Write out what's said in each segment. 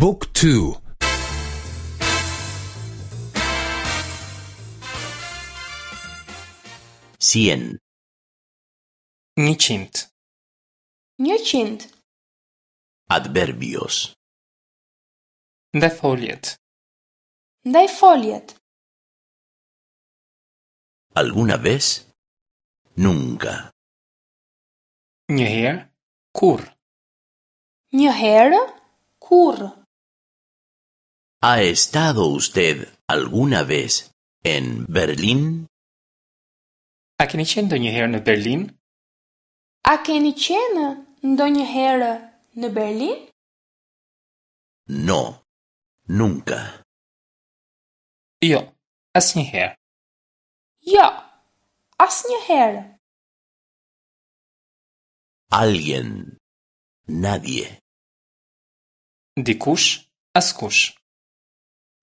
บุ๊กทู Cien. Njëqind. Njëqind. Adverbios. Ndajfoljet. Ndajfoljet. ¿Alguna vez? Nunca. Një herë, kurrë. Një herë, kurrë. ¿Ha estado usted alguna vez en Berlín? A keni qenë ndonjëherë në Berlin? A keni qenë ndonjëherë në Berlin? No, nunca. Jo, asnjëherë. Jo, asnjëherë. Alguien. Nadie. Dikush, askush.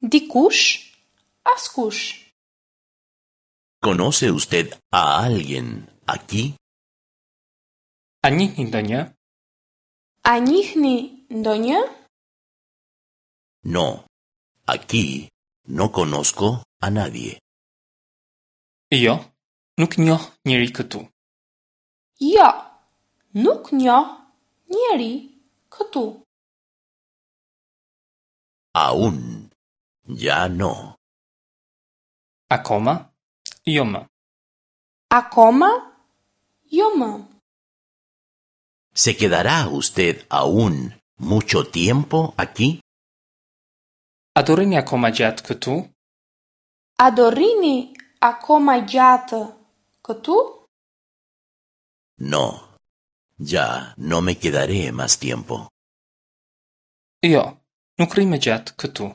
Dikush, askush. ¿Conoce usted a alguien aquí? A njihni ndonjë? A njihni ndonjë? No, aquí no conozco a nadie. Jo, nuk njoh njeri këtu. Jo, nuk njoh njeri këtu. Aún. Ya no. Akoma? Jo më. Akoma? Jo më. ¿Se quedará usted aún mucho tiempo aquí? A do rrini akoma gjatë këtu? A do rrini akoma gjatë këtu? No, ya no me quedaré más tiempo. Jo, nuk rri më gjatë këtu.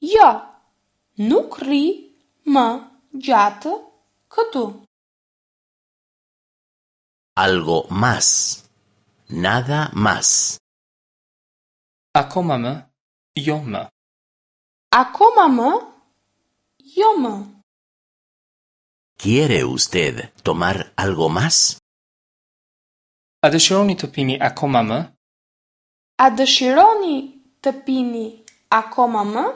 Jo, nuk rri më gjatë këtu. Algo más. Nada más. Akoma më, jo më. Akoma më, jo më. ¿Quiere usted tomar algo más? A dëshironi të pini akoma më? A dëshironi të pini akoma më?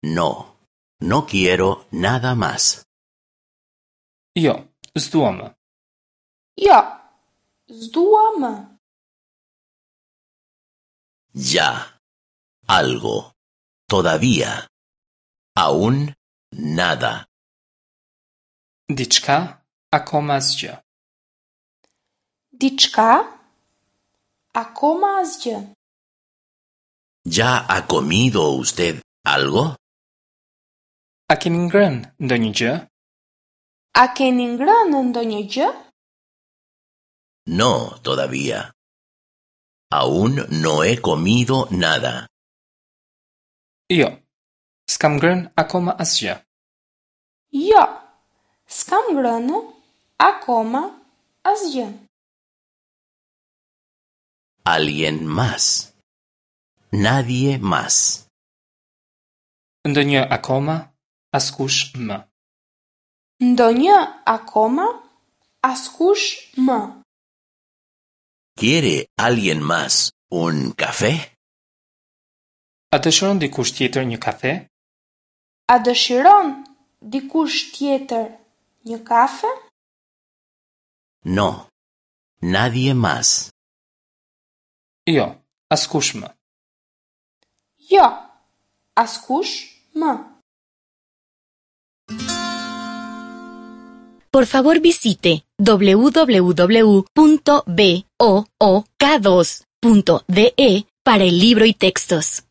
No, no quiero nada más. Jo, s'dua më. Jo, s'dua më. Ya. Algo. Todavía. Aún nada. Diçka, akoma asgjë. Diçka, akoma asgjë. ¿Ya ha comido usted algo? A keni ngrënë ndonjë gjë? A keni ngrënë ndonjë gjë? No, todavía. Aún no he comido nada. Jo, s'kam ngrënë akoma asgjë. Jo, s'kam ngrënë akoma asgjë. Alguien más. Nadie más. Ndonjë akoma, askush më. Ndonjë akoma, askush më. ¿Quiere alguien más un café? A dëshiron dikush tjetër një kafe? A dëshiron dikush tjetër një kafe? No, nadie más. Jo, askush më. Jo, askush më. Por favor visite www.book2.de para el libro y textos.